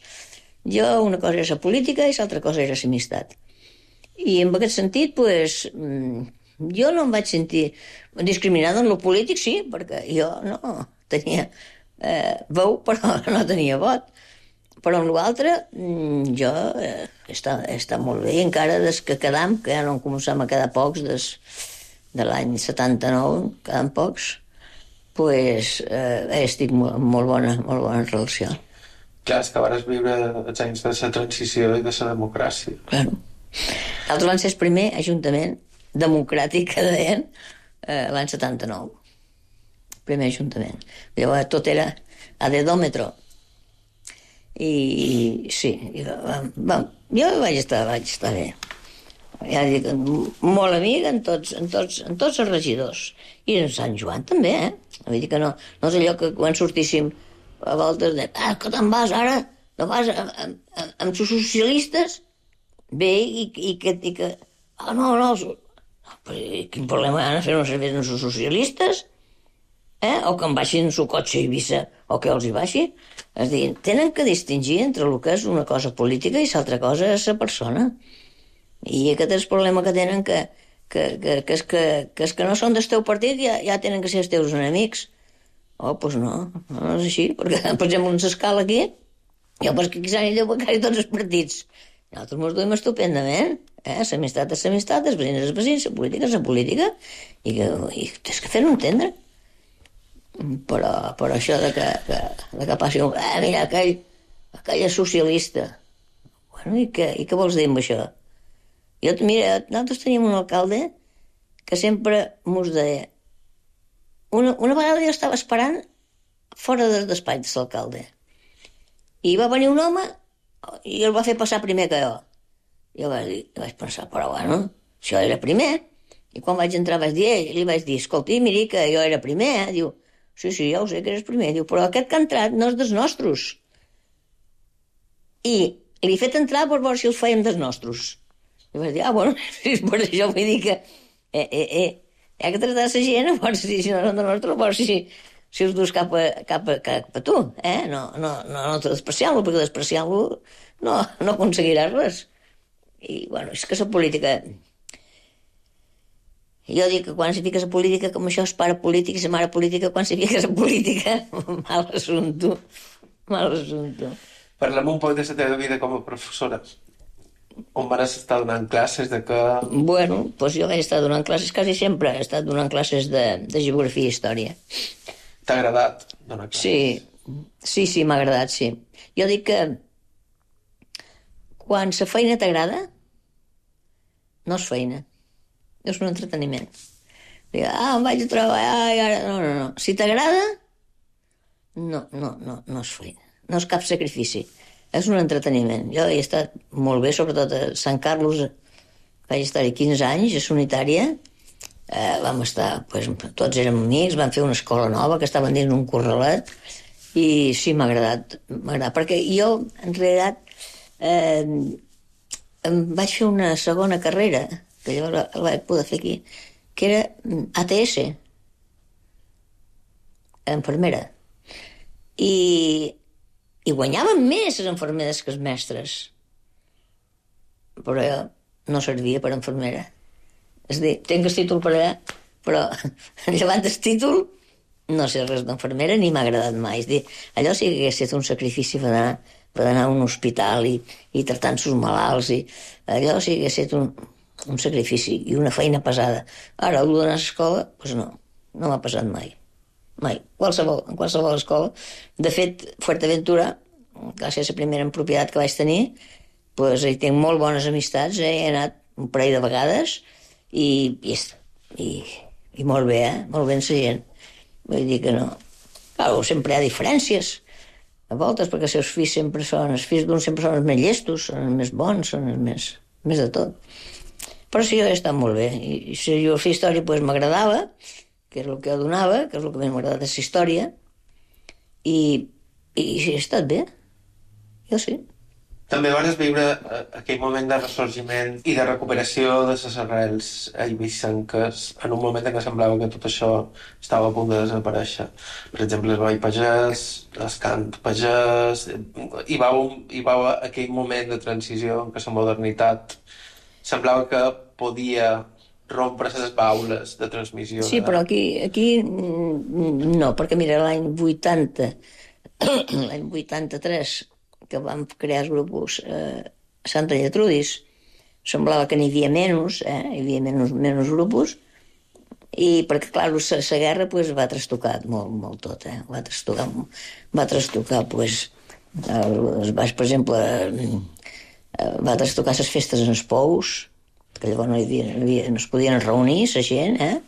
Jo, una cosa era la política i l'altra cosa era l'amistat. I en aquest sentit, doncs... jo no em vaig sentir discriminada en lo polític, sí, perquè jo no tenia eh, veu, però no tenia vot. Però en l'altre, jo eh, està, està molt bé, i encara des que quedam, que ja no començam a quedar pocs, des de l'any setanta-nou, quedam pocs, pues, eh, estic molt, molt bona, molt bona relació. Clar, és que vas viure els anys de la transició i de la democràcia. Claro. L'altre van ser el primer ajuntament democràtic que deien eh, l'any setanta-nou. Primer ajuntament. Llavors tot era a dedòmetre. I, i sí, i, va, va, jo vaig estar, vaig estar bé. Ja dic, molt amic en tots, en tots, en tots els regidors. I en Sant Joan també, eh? Vull dir que no, no és allò que quan sortíssim a voltes de, ah, que te'n vas ara, no vas amb, amb, amb els socialistes, bé, i, i que... I que ah, no, no, però quin problema han de fer uns serveis amb els socialistes? Eh? O que em baixin el seu cotxe a Eivissa, o que els hi baixi. És a dir, tenen que distingir entre el que és una cosa política i l'altra cosa és la persona. I aquest és el problema que tenen, que, que, que, que, és que, que és que no són del teu partit, ja, ja tenen que ser els teus enemics. Oh, doncs no, no és així, perquè, per exemple, en l'escala aquí, jo pues que quizà ni deu becari tots els partits. Nosaltres mos duim estupendament, eh? L'amistat és l'amistat, els veïns és els veïns, la política és la política, i, que, i tens que fer-ho entendre. Però, però això de que, que, de que passi un... Eh, mira, aquell, aquell és socialista. Bueno, i què, i què vols dir amb això? Jo, mira, nosaltres teníem un alcalde que sempre mos deia... Una, una vegada jo estava esperant fora del despatx de l'alcalde. I va venir un home i el va fer passar primer que jo. Jo vaig, dir, vaig pensar, però bueno, això era primer. I quan vaig entrar vaig dir, ell, li vaig dir, escolti, miri que jo era primer. Eh? Diu, sí, sí, ja ho sé que eres primer. Diu, però aquest que ha entrat no és dels nostres. I li he fet entrar per veure si el fèiem dels nostres. I vaig dir, ah, bueno, per això vull dir que eh, eh, eh, hi ha que tractar la gent, a veure si, si no són de nostre, a veure si, si els dus cap a, cap a, cap a tu, eh? No, no, no, no despreciar-lo, perquè despreciar-lo no, no aconseguiràs res. I, bueno, és que la política... Jo dic que quan s'hi fiques a política, com això és pare polític i la mare política, quan s'hi fiques a política, mal assumpte, mal assumpte. Parlem un poc de la teva vida com a professora. On vas estar donant classes de que... Bueno, doncs jo vaig estar donant classes quasi sempre. He estat donant classes de, de geografia i història. T'ha agradat donar classes? Sí, sí, sí, m'ha agradat, sí. Jo dic que quan la feina t'agrada, no és feina. És un entreteniment. Dic, ah, em vaig a treballar i ara... No, no, no. Si t'agrada, no, no, no, no és feina. No és cap sacrifici. És un entreteniment. Jo he estat molt bé, sobretot a Sant Carlos, vaig estar-hi quinze anys, a Unitària. Eh, vam estar, pues, tots érem amics, vam fer una escola nova que estaven dins un corralet, i sí, m'ha agradat, m'ha agradat, perquè jo, en realitat, eh, em vaig fer una segona carrera, que llavors la vaig poder fer aquí, que era A T S, infermera. I... I guanyaven més les infermeres que els mestres. Però jo no servia per infermera. És a dir, tinc el títol per allà, però llevant el títol no sé res d'infermera ni m'ha agradat mai. És a dir, allò sí que hagués estat un sacrifici per anar, per anar a un hospital i, i tractant els malalts. I allò sí que hagués estat un, un sacrifici i una feina pesada. Ara, el d'anar a l'escola, doncs no, no m'ha passat mai. Mai, qualsevol, en qualsevol escola. De fet, Fuerteventura, gràcies a la primera propietat que vaig tenir, doncs hi tinc molt bones amistats, eh? He anat un parell de vegades i, i, i, i molt bé, eh? Molt bé amb la gent. Vull dir que no... Clar, sempre hi ha diferències, a voltes, perquè els seus fills sempre són... Els fills d'uns sempre són els més llestos, són els més bons, són els més... més de tot. Però sí, jo he estat molt bé. I, i si jo fer història, doncs m'agradava, que és el que jo donava, que és el que més m'ha agradat de la història, i, i he estat bé. Jo sí. També vas viure aquell moment de ressorgiment i de recuperació de les arrels eivissenques en un moment en què semblava que tot això estava a punt de desaparèixer. Per exemple, el ball pagès, el cant pagès... Hi va, un, hi va aquell moment de transició en què la modernitat semblava que podia rompre les baules de transmissió. Sí, però aquí, aquí no, perquè mira, l'any vuitanta, l'any vuitanta-tres, que vam crear els grups eh, a Santa Lletrudis, semblava que n'hi havia menys, eh? Hi havia menys, menys grups, i perquè, clar, la guerra pues, va trastocar molt, molt tot, eh? Va trastocar, va trastocar, pues, el, per exemple, eh, va trastocar les festes en els pous, que llavors no, hi havia, no, hi havia, no es podien reunir, la gent, eh?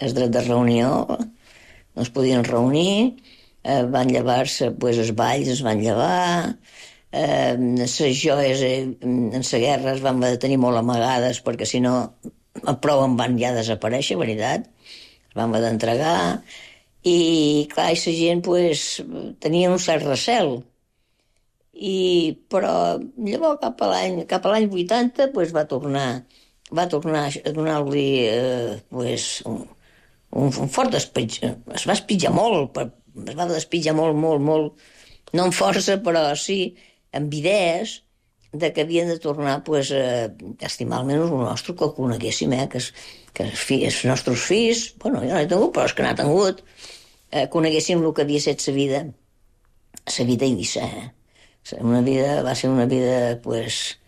El dret de reunió, no es podien reunir, eh, van llevar-se, pues, els balls es van llevar, eh, les joies eh, en la guerra es van tenir molt amagades, perquè si no, prou en van ja desaparèixer, veritat, es van haver d'entregar, i clar, i la gent, pues, tenia un cert recel, I, però llavors cap a l'any cap a l'any vuitanta pues, va tornar va tornar a donar-li eh, pues, un, un, un fort despitjar. Es va espitjar molt, per, es va despitjar molt, molt, molt, no amb força, però sí amb idees de que havien de tornar pues, a estimar almenys el nostre, que el coneguéssim, eh? que, es, que els, fills, els nostres fills, bueno, jo no he tingut, però els que n'ha tingut, eh, coneguéssim el que havia estat sa vida, sa vida a Eivissa, eh? Una vida, va ser una vida pues,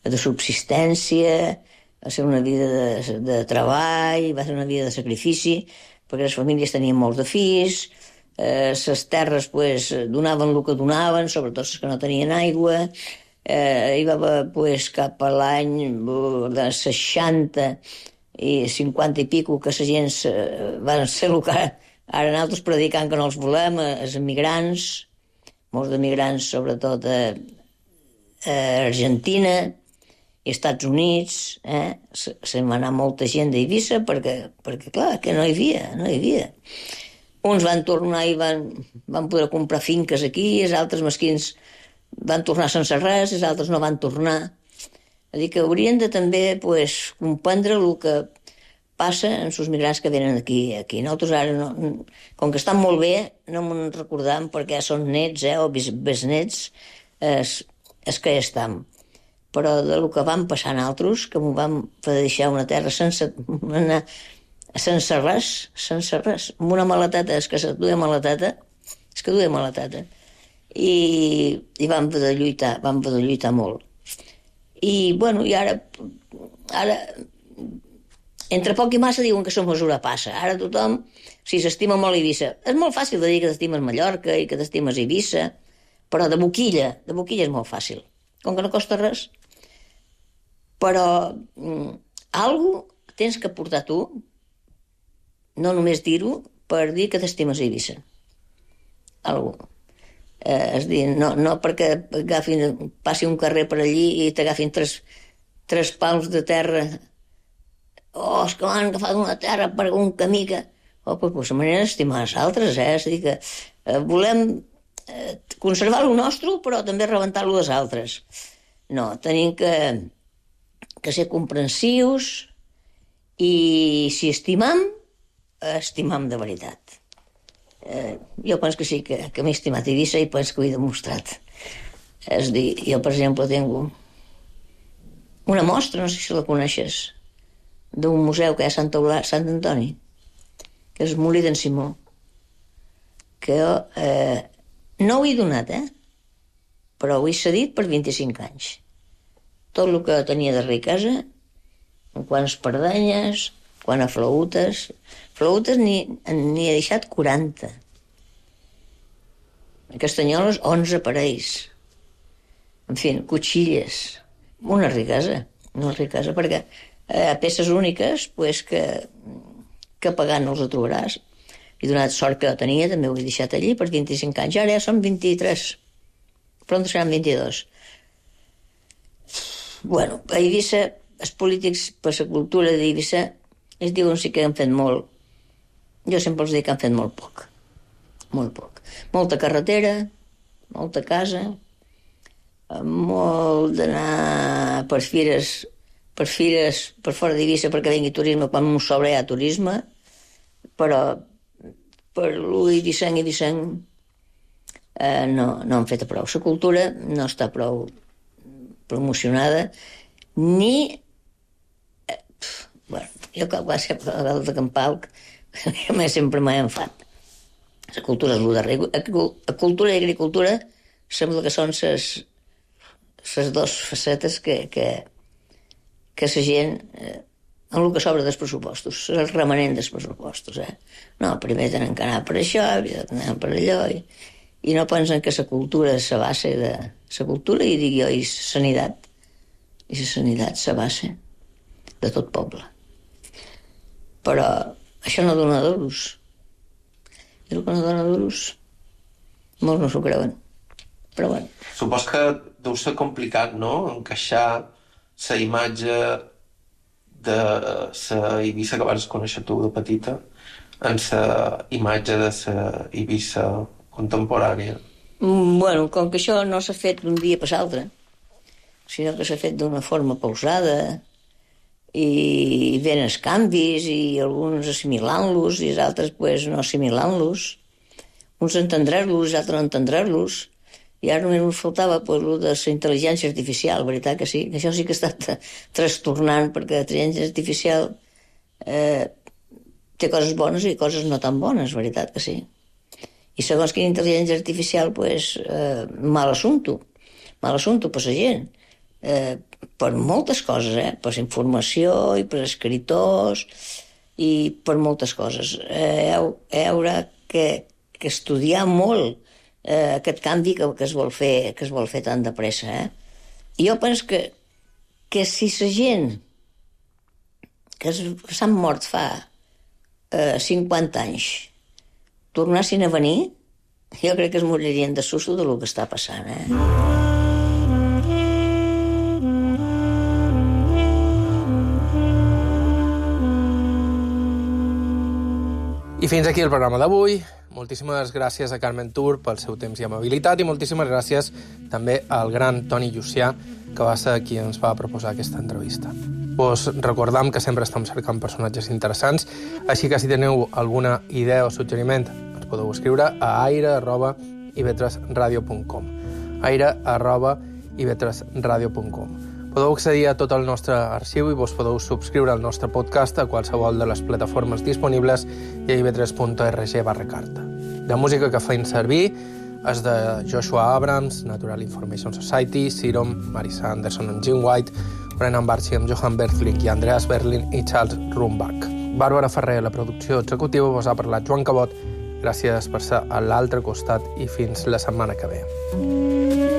de subsistència, va ser una vida de, de treball, va ser una vida de sacrifici, perquè les famílies tenien molts de fills, eh, les terres pues, donaven el que donaven, sobretot les que no tenien aigua. Eh, hi va haver pues, cap a l'any de seixanta i cinquanta i pico que la gent eh, van ser el que ara nosaltres predicant que no els volem, els emigrants, molts d'emigrants, sobretot a, a Argentina i Estats Units, eh? se, se'n va anar molta gent d'Eivissa perquè, perquè, clar, que no hi havia, no hi havia. Uns van tornar i van, van poder comprar finques aquí, els altres mesquins van tornar sense res, els altres no van tornar. És a dir, que haurien de també pues, comprendre el que passa en els migrants que venen aquí. aquí. Nosaltres ara, no, com que estan molt bé, no me'n recordam perquè són nets eh, o besnets, és, és que ja estem. Però del que vam passar nosaltres, que m'ho vam fer deixar una terra sense, una, sense res, sense res, amb una maleteta, és que se duia maleteta, és que duia maleteta. I, i vam poder lluitar, vam poder lluitar molt. I, bueno, i ara, ara entre poc i massa diuen que la mesura passa. Ara tothom, si s'estima molt Eivissa, és molt fàcil de dir que t'estimes Mallorca i que t'estimes Eivissa, però de boquilla, de boquilla és molt fàcil. Com que no costa res. Però mm, algo tens que portar tu, no només dir-ho, per dir que t'estimes Eivissa. Algo. Eh, és dir, no, no perquè agafin, passi un carrer per allí i t'agafin tres, tres pals de terra. Oh, és que m'han agafat una terra per un camí que... Oh, pues, pues la manera d'estimar els altres, eh? És a dir, que eh, volem eh, conservar el nostre, però també rebentar-lo dels altres. No, tenim que, que ser comprensius i si estimam, estimam de veritat. Eh, jo penso que sí, que, que m'he estimat Eivissa i penso que ho he demostrat. És a dir, jo, per exemple, tinc una mostra, no sé si la coneixes, d'un museu que hi ha a Sant, Eulà, Sant Antoni, que és el Molí d'en Simó, que eh, no ho he donat, eh? però ho he cedit per vint-i-cinc anys. Tot el que tenia de riquesa, en quant a espardenyes, quant a flautes, flautes n'hi he deixat quaranta. Castanyoles, onze parells. En fi, cotxilles. Una riquesa, una riquesa, perquè eh, peces úniques, pues, que, que pagant no els trobaràs. He donat sort que tenia, també ho he deixat allí per vint-i-cinc anys. Ara ja són vint-i-tres, però en seran vint-i-dos. Bueno, a Eivissa, els polítics per la cultura d'Eivissa es diuen sí que han fet molt. Jo sempre els dic que han fet molt poc. Molt poc. Molta carretera, molta casa, molt d'anar per fires, per fires per fora d'Eivissa perquè vingui turisme quan un sobre hi ha turisme, però per l'u eivissenc i eivissenc eh, no, no han fet prou. La cultura no està prou promocionada, ni... Eh, pf, bueno, jo quan va ser a dalt de Campalc, sempre m'he enfat. La cultura és el darrer. La cultura i agricultura sembla que són les les dues facetes que, que, que la gent, eh, en el que sobra dels pressupostos, el remanent dels pressupostos. Eh? No, primer tenen que anar per això, anar per allò, i, i no pensen que la cultura és la base de... La cultura, i dic jo, i la sanitat. I la sanitat és la base de tot poble. Però això no dona duros. I el que no dona duros, molts no s'ho creuen. Però bueno. Supos que deu ser complicat, no?, encaixar la imatge de la Eivissa que vas conèixer tu de petita en la imatge de la Eivissa contemporània. Bueno, com que això no s'ha fet d'un dia per l'altre, sinó que s'ha fet d'una forma pausada, i ven els canvis, i alguns assimilant-los, i els altres pues, no assimilant-los, uns entendre-los, els altres no entendre-los, i ara només ens faltava pues, el de la intel·ligència artificial, veritat que sí, que això sí que ha estat trastornant, perquè la intel·ligència artificial eh, té coses bones i coses no tan bones, veritat que sí. I segons quina intel·ligència artificial, pues, eh, mal assumpto, mal assumpto per la gent, eh, per moltes coses, eh? Per informació i per escriptors i per moltes coses. Eh, heu, heu que, que estudiar molt eh, aquest canvi que, que, es vol fer, que es vol fer tan de pressa. Eh? I jo penso que, que si la gent que s'han mort fa eh, cinquanta anys tornassin a venir, jo crec que es moririen de susto del que està passant. Eh? I fins aquí el programa d'avui. Moltíssimes gràcies a Carmen Tur pel seu temps i amabilitat i moltíssimes gràcies també al gran Toni Llucià, que va ser qui ens va proposar aquesta entrevista. Vos recordam que sempre estem cercant personatges interessants, així que si teniu alguna idea o suggeriment ens podeu escriure a aire arroba i ve tres radio punt com aire arroba i ve tres radio punt com. Podeu accedir a tot el nostre arxiu i vos podeu subscriure al nostre podcast a qualsevol de les plataformes disponibles i a i ve tres punt org barra carta. La música que feim servir és de Joshua Abrams, Natural Information Society, Serum, Marisa Anderson amb Jim White, Brennan Barchi amb Johan Berthling i Andreas Berlin i Charles Rumbach. Bàrbara Ferrer, la producció executiva, vos ha parlat Joan Cabot. Gràcies per ser a l'altre costat i fins la setmana que ve.